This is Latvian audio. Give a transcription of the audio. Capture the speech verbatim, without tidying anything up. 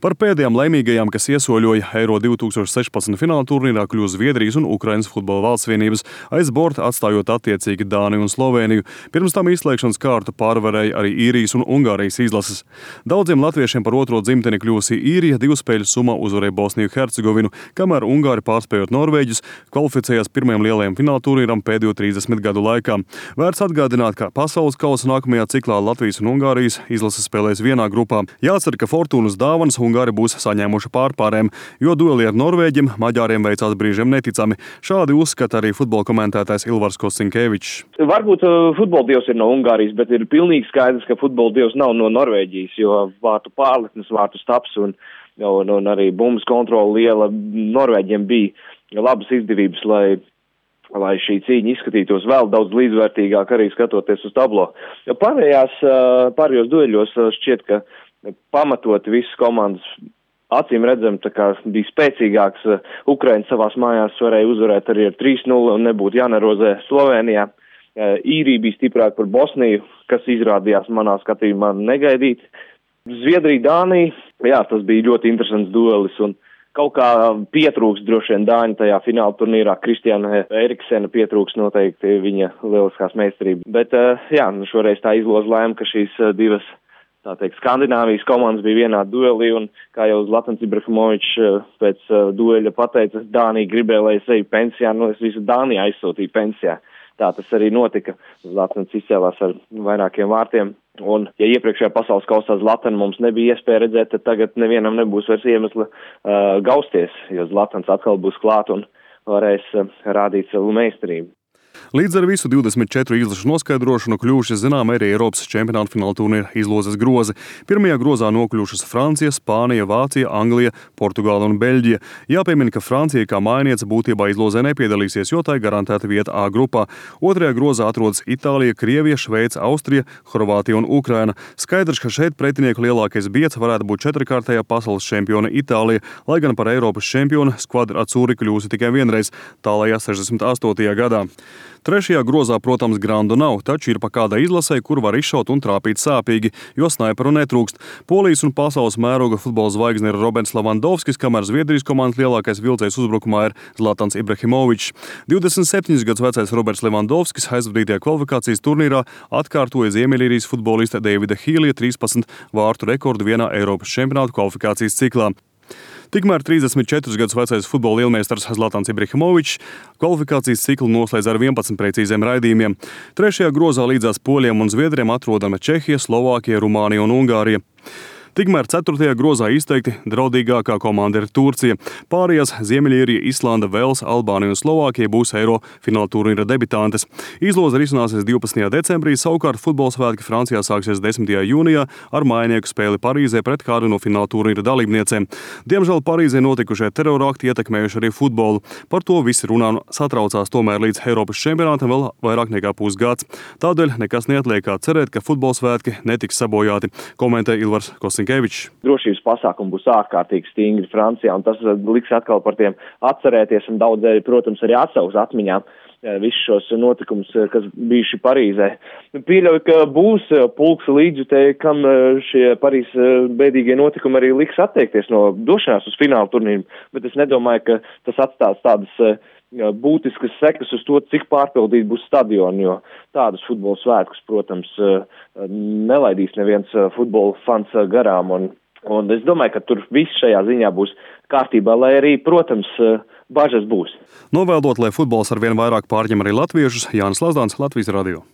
Par pēdējām laimīgajām, kas iesoļoja Eiro divi tūkstoši sešpadsmit fināla turnīrā, kļūs Zviedrijas un Ukrainas futbola valstsvienības, aiz borta atstājot attiecīgi Dāniju un Slovēniju. Pirms tam izslēgšanas kārtu pārvarēja arī Īrijas un Ungārijas izlases. Daudziem latviešiem par otro dzimteni kļūsi Īrija divu spēļu summā uzvarēja Bosniju Hercegovinu, kamēr Ungāri pārspējot Norvēģus kvalificējās pirmajam lielajam fināla turnīram pēdējo trīsdesmit gadu laikā. Vērts atgādināt, ka pasaules kausa nākamajā ciklā Latvijas un Ungārijas izlases spēlēs vienā grupā. Jācer, ka fortūnas dāvanas Ungāri būs saņēmuši pārpārēm, jo dueli ar norvēģiem maģāriem veicās brīžiem neticami. Šādi uzskata arī futbola komentētājs Ilvars Kosinkevičs. Varbūt uh, futbola dievs ir no Ungārijas, bet ir pilnīgi skaidrs, ka futbola dievs nav no Norvēģijas, jo vārtu pārliknes, vārtu staps un, un, un arī bumbas kontrola liela. Norvēģiem bija labas izdevības, lai lai šī cīņa izskatītos vēl daudz līdzvērtīgāk, arī skatoties uz tablo. Jo pārējās, pārējos dueļos šķiet, ka pamatoti visas komandas acīm redzam, tā kā bija spēcīgāks. Ukraina savās mājās varēja uzvarēt arī ar trīs nulle un nebūtu jānerozē Slovenijā. Īrija bija stiprāka par Bosniju, kas izrādījās manā skatījumā negaidīt. Zviedrija, Dānija, jā, tas bija ļoti interesants duelis un kaut kā pietrūks droši vien Dāņu tajā fināla turnīrā. Kristiāna Eriksena pietrūks noteikti viņa lieliskās meistarības. Bet, jā, šoreiz tā izloze lēma, ka šīs divas, tā teikt, Skandināvijas komandas bija vienā duelī, un kā jau Zlatans Ibrahimovičs pēc dueļa pateica, Dānija gribēja, lai es eju pensijā, nu es visu Dāniju aizsūtīju pensijā. Tā tas arī notika. Zlatans izcēlās ar vairākiem vārtiem. Un, ja iepriekšējā pasaules kausā Zlatanu mums nebija iespēja redzēt, tad tagad nevienam nebūs vairs iemesla uh, gausties, jo Zlatans atkal būs klāt un varēs uh, rādīt savu meistarību. Līdz ar visu divdesmit četru izlašu noskaidrošanu kļuvuši zinām arī Eiropas čempionāta fināla turnīra izlozes grozi. Pirmajā grozā nokļuvušas Francija, Spānija, Vācija, Anglija, Portugāla un Beļģija. Jāpiemina, ka Francija kā mājniece būtībā izlozē nepiedalīsies, jo tai garantēta vieta A grupā. Otrajā grozā atrodas Itālija, Krievija, Šveice, Austrija, Horvātija un Ukraina. Skaidrs, ka šeit pretinieku lielākais biedrs varētu būt četrkārtējā pasaules čempione Itālija, lai gan par Eiropas čempionu Skvadra Azzurri kļūsi tikai vienreiz, tālajā sešdesmit astotajā gadā. Trešajā grozā, protams, grandu nav, taču ir pa kādai izlasē, kur var izšaut un trāpīt sāpīgi, jo snaiperu netrūkst. Polijas un pasaules mēroga futbola zvaigzne ir Roberts Levandovskis, kamēr Zviedrijas komandas lielākais vilcējs uzbrukumā ir Zlatans Ibrahimovičs. divdesmit septiņus gadus vecais Roberts Levandovskis aizvadītajā kvalifikācijas turnīrā atkārtoja Ziemeļīrijas futbolista Davida Hīlija trīspadsmit vārtu rekordu vienā Eiropas čempionāta kvalifikācijas ciklā. Tikmēr trīsdesmit četrus gadus vecais futbola lielmeistars Zlatans Ibrahimovičs kvalifikācijas ciklu noslēdz ar vienpadsmit precīziem raidījumiem. Trešajā grozā līdzās poļiem un zviedriem atrodama Čehija, Slovākija, Rumānija un Ungārija. Tikmēr ceturtajā grozā izteikti draudīgākā komanda ir Turcija. Pārējās Ziemeļīrija, Islanda, Velsa, Albānija un Slovākija būs Eiro fināla turnīra debitantes. Izloze risināsies divpadsmitajā decembrī, savukārt futbola svētki Francijā sāksies desmitajā jūnijā ar mājinieku spēli Parīzē pret kādu no fināla turnīra dalībniecēm. Diemžēl Parīzē notikušie terorākti ietekmējuši arī futbolu. Par to visi runā un satraucās, tomēr līdz Eiropas čempionātam vēl vairāk nekā pusgads. Tādēļ nekas neatliek kā cerēt, ka futbola svētki netiks sabojāti, komentē Ilvars Kosinkevičs. Drošības pasākumi būs ārkārtīgi stingri Francijā, un tas liks atkal par tiem atcerēties, un daudzēji, protams, arī atsauks atmiņām visus šos notikumus, kas bijuši Parīzē. Pieļauju, ka būs pulks līdzjutēji, kam šie Parīzes bēdīgie notikumi arī liks atteikties no došanās uz fināla turnīru, bet es nedomāju, ka tas atstās tādas būtiskas sekas uz to, cik pārpildīt būs stadioni, jo tādus futbola svētkus, protams, nelaidīs neviens futbola fans garām, un, un es domāju, ka tur viss šajā ziņā būs kārtībā, lai arī, protams, bažas būs. Novēlot, lai futbols ar vien vairāk pārņem arī latviešus, Jānis Lazdāns, Latvijas radio.